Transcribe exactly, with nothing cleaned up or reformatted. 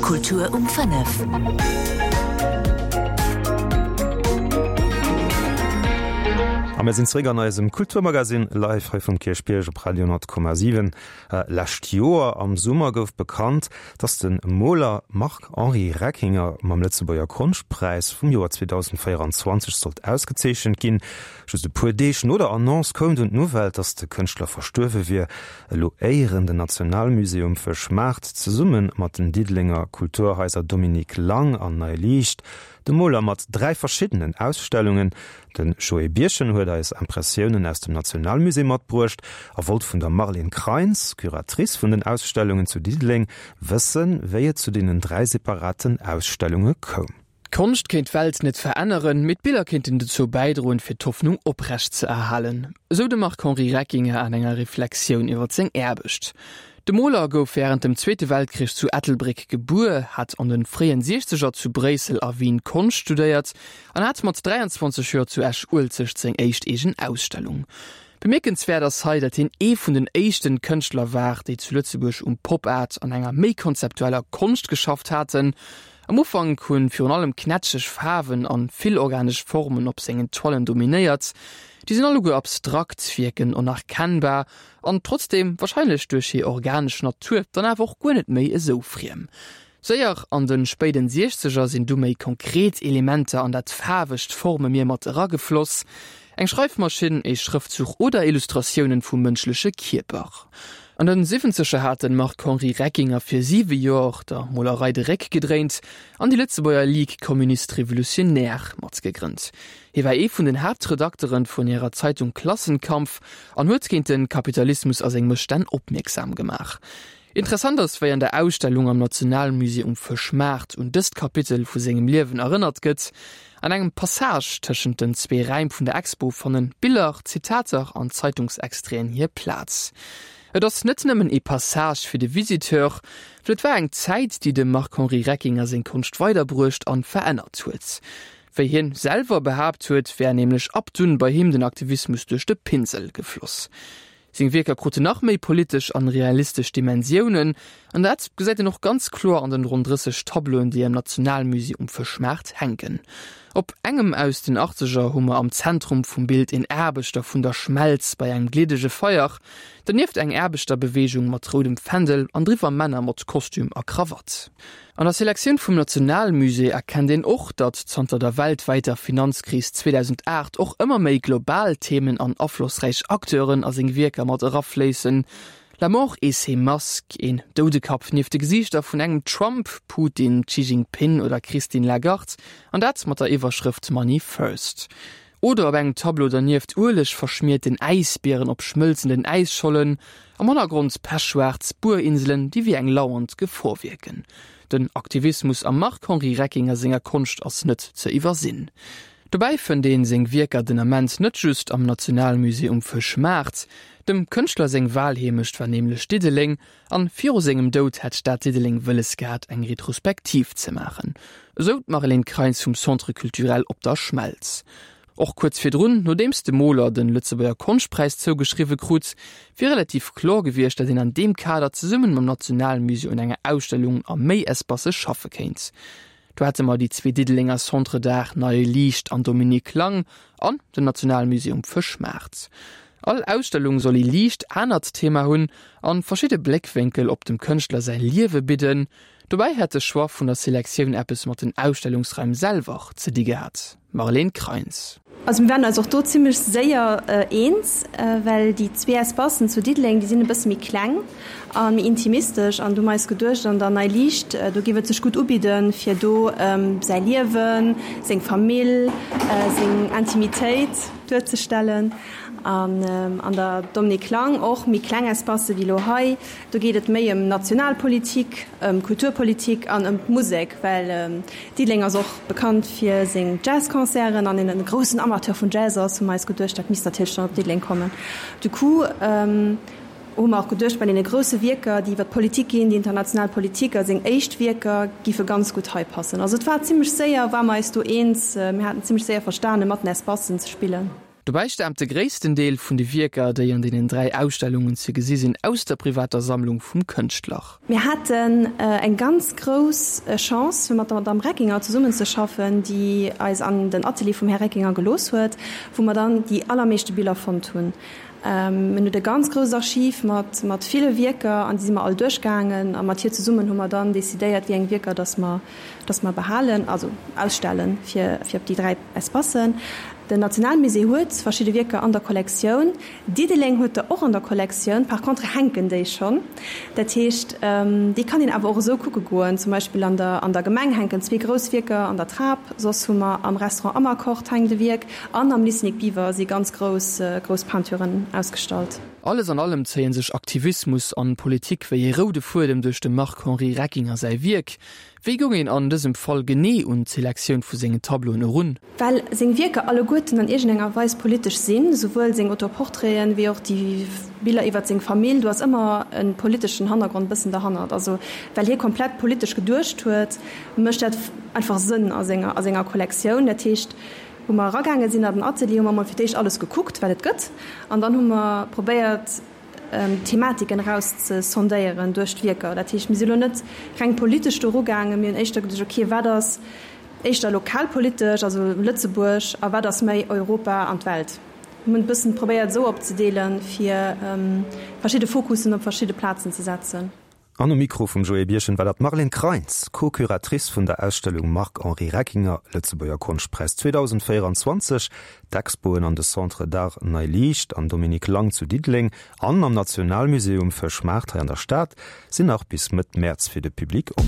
Kultur um fënnef. A mir sinn zréck an eisem Kulturmagazin live hei vum Kierchbierg op Radio honnert Komma siwen. Lescht Joer am Summer gouf bekannt, dass de Moler Marc-Henri Reckinger mam Lëtzebuerger Konschtpräis vum Joer zweedausendvéieranzwanzeg sollt ausgezeechent ginn. Just e puer Deeg no der Annonce koum dunn d'Nouvelle, dass de Kënschtler verstuerwe wier. Elo éieren den Nationalmusée um Fëschmaart zesumme mat den Diddelenger Kulturhaiser Dominique Lang an Nei Liicht de Moler mat dräi verschiddenen Ausstellungen. De Joé Birchen huet eis Impressiounen aus dem Nationalmusée matbruecht a wollt vun der Marlene Kreins, Curatrice vun den Ausstellungen zu Diddeleng, wëssen, wéi et zu deenen dräi separaten Ausstellunge koum. D'Konscht kéint d'Welt net veränneren, mee d'Biller kéinten dozou bäidroen, fir d'Hoffnung oprecht ze erhalen, esou de Marc-Henri Reckinger an enger Reflexioun iwwer seng Aarbecht. De Moler gouf wärend dem Zweete Weltkrich zu Ettelbréck gebuer, hat an de fréien Siechzeger zu Bréissel a Wien Konscht studéiert an hat mat dräianzwanzeg Joer zu Esch-Uelzecht seng éischt eegen Ausstellung. Bemierkenswäert ass hei, datt hien ee vun den éischten Kënschtler war, déi zu Lëtzebuerg um Pop Art an enger méi konzeptueller Konscht geschafft haten. Am Ufank hunn virun allem knätscheg Faarwen an vill organesch Formen op sengen Toilen dominéiert. Déi sinn alleguer abstrakt, wierken onerkennbar an trotzdeem, warscheinlech duerch hir organesch Natur, dann awer och guer net méi esou friem. Séier an de spéiden Siechzeger sinn du méi konkret Elementer an dat faarwegt Formemier mat eragefloss, eng Schreifmaschinn, ee Schrëftzuch oder Illustratiounen vum mënschleche Kierper. An den Siwwenzeger hat den Marc-Henri Reckinger fir siwe Joer der Molerei de Réck gedréint an déi Lëtzebuerger Ligue Communiste Révolutionnaire matgegrënnt. Hie war ee vun den Haaptredakteren vun hirer Zeitung Klassenkampf an huet géint de Kapitalismus a seng Mësstänn opmierksam gemaach. Interessant ass, wéi an der Ausstellung am Nationalmusée um Fëschmaart un dëst Kapitel vu sengem Liewen erënnert gëtt. An engem Passage tëschent den zwee Räim vun der Expo fannen Biller, Zitater an Zeitungsextraiten hir Plaz. Et ass net nëmmen ee Passage fir de Visiteur, well et war eng Zäit, déi dem Marc-Henri Reckinger seng Konscht weiderbruecht an verännert huet. Wéi hien selwer behaapt huet, wär nämlech ab dunn bei him den Aktivismus duerch de Pinsel gefloss. Seng Wierker kruten nach méi politesch an realistesch Dimensiounen, an dat gesäit een och ganz kloer an den ronn drësseg Tableauen, déi am Nationalmusée um Fëschmaart hänken. Op engem aus den Achtzeger hu mer am Zentrum vum Bild een Aarbechter vun der Schmelz bei engem gliddege Feier, dernieft eng Aarbechterbeweegung mat roudem Fändel an driwwer Männer mat Kostüm a Krawatt. An der Selektioun vum Nationalmusée erkennt een och, datt zanter der weltwäiter Finanzkris zweedausendacht och ëmmer méi global Themen an aflossräich Acteuren a seng Wierker mat erafléissen, La mort et ses masques, een Doudekapp nieft de Gesiichter vun engem Trump, Putin, Xi Jinping oder Christine Lagarde, an dat mat der Iwwerschrëft Money first. Oder op engem Tableau dernieft ueleg verschmierten Äisbieren op schmëlzenden Äisschollen, am Hannergrond pechschwaarz Buerinselen, déi wéi eng lauernd Gefor wierken. Den Aktivismus am Marc-Henri Reckinger senger Konscht ass net ze iwwersinn. Dobäi fënnt een seng Wierker den Ament net just am Nationalmusée um Fëschmaart. Dem Kënschtler seng Walheemecht war nämlech Diddeleng an viru sengem Doud hätt d'Stad Diddeleng wëlles gehat eng Retrospektiv ze maachen, esou d'Marlène Kreins vum Centre culturel Op der Schmelz. Och kuerz virdrun, nodeems de Moler de Lëtzebuerger Konschtpräis zougeschriwwe krut, wier relativ kloer gewiescht, datt een an deem Kader zesumme mam Nationalmusée un enger Ausstellung a méi Espacë schaffe kéint. Do hätte mer déi zwee Diddelenger Centres d'Art Neie Liicht an Dominique Lang an den Nationalmusée um Fëschmaart. All Ausstellung soll ee liicht anert Thema hunn an verschidde Bléckwénkel op dem Kënschtler säi Liewe bidden. Dobäi hätt de Choix vun der Selektioun eppes mat den Ausstellungsraim selwer ze di gehat. Marlène Kreins. Also mir waren eis och do zimmlech séier eens, well déi zwee Espacen zu Diddeleng, déi sinn e bësse méi kleng a méi intimistesch an du hu mer eis geduecht, an der Nei Liicht, do géif et sech gutt ubidden, fir do säi Liewen, seng Famill, seng Intimitéit duerzestellen. An an der Dominique Lang och méi kleng Espacë wéi elo hei, do geet et méi ëm Nationalpolitik, ëm Kulturpolitik an ëm d'Musek, well Diddeleng ass och bekannt fir seng Jazzconcerten an een e groussen Amateur vun Jazz ass, hu mer eis geduecht, dat misst natierlech dann op Diddeleng kommen. Du coup hu mer och geduecht, bei deene grousse Wierker, déi iwwer d'Politik ginn, déi international Politik a seng éischt Wierker giffe ganz gutt hei passen. Also et war zimmlech séier, ware mer eis do eens, mir haten zimmlech séier verstane mat den Espacen ze spillen. Dobäi staamt de gréissten Deel vun de Wierker, déi an deenen dräi Ausstellungen ze gesi sinn, aus der privater Sammlung vum Kënschtler. Mir haten eng ganz grouss Chance, fir mat der Madamm Reckinger zesummenzeschaffen, déi eis an den Atelier vum Här Reckinger gelooss huet, wou mer dann déi allermeeschte Biller fonnt hunn. En huet e ganz grousst Archiv mat mat ville Wierker an déi si mer all duerchgaangen a mat hir zesummen hu mer dann decidéiert, wéi eng Wierker dass mer dass mer behalen, also ausstellen, fir fir op déi dräi Espacen. Den Nationalmusée huet verschidde Wierker an der Kollektioun, Diddeleng huet der och an der Kollektioun, par contre hänken déi schonn. Dat heescht, déi kann een awer och esou kucke goen. Zum Beispill an der an der Gemeng hänken zwee grouss Wierker an der Trap, soss hu mer am Restaurant Amarcord hänkt e Wierk an am Lycée Nic Biver si ganz grouss grouss Peinturen ausgestallt. Alles an allem zéien sech Aktivismus an Politik wéi ee roude Fuedem duerch dem Marc-Henri Reckinger säi Wierk. Wéi goung een an dësem Fall genee un d'Selektioun vu sengen Tableauen erun? Well seng Wierker alleguerten an iergendenger Weis politesch sinn, souwuel seng Autoportraiten wéi och déi Biller iwwert seng Famill, do ass ëmmer e politeschen Hannergrond bëssen derhannert. Also well hie komplett politesch geduecht huet, mécht dat einfach Sënn a senger a senger Kollektioun. Dat heescht, wou mer eragaange sinn an den Atelier, hu mer emol fir d'éischt alles gekuckt, wat et gëtt, an dann hu mer probéiert, Thematiken eraus ze sondéieren duerch d'Wierker. Dat heescht, mir si lo net reng politesch do erugaangen, mir hunn éischter geduecht, okay, wat ass éischter lokalpolitesch, also Lëtzebuerg, a wat ass méi Europa an d'Welt. Mir hunn et e bëssen probéiert esou opzedeelen, fir verschidde Fokussen op verschidde Plazen ze setzen. An um Mikro vum Joé Birchen war dat d'Marlène Kreins, Co-Curatrice vun der Ausstellung Marc-Henri Reckinger, Lëtzebuerger Konschtpräis zweedausendvéierundzwanzeg. D'Expoen an de Centres d'Art Nei Liicht an Dominique Lang zu Diddeleng an am Nationalmusée um Fëschmaart hei an der Stad sinn nach bis Mëtt Mäerz fir de Public op.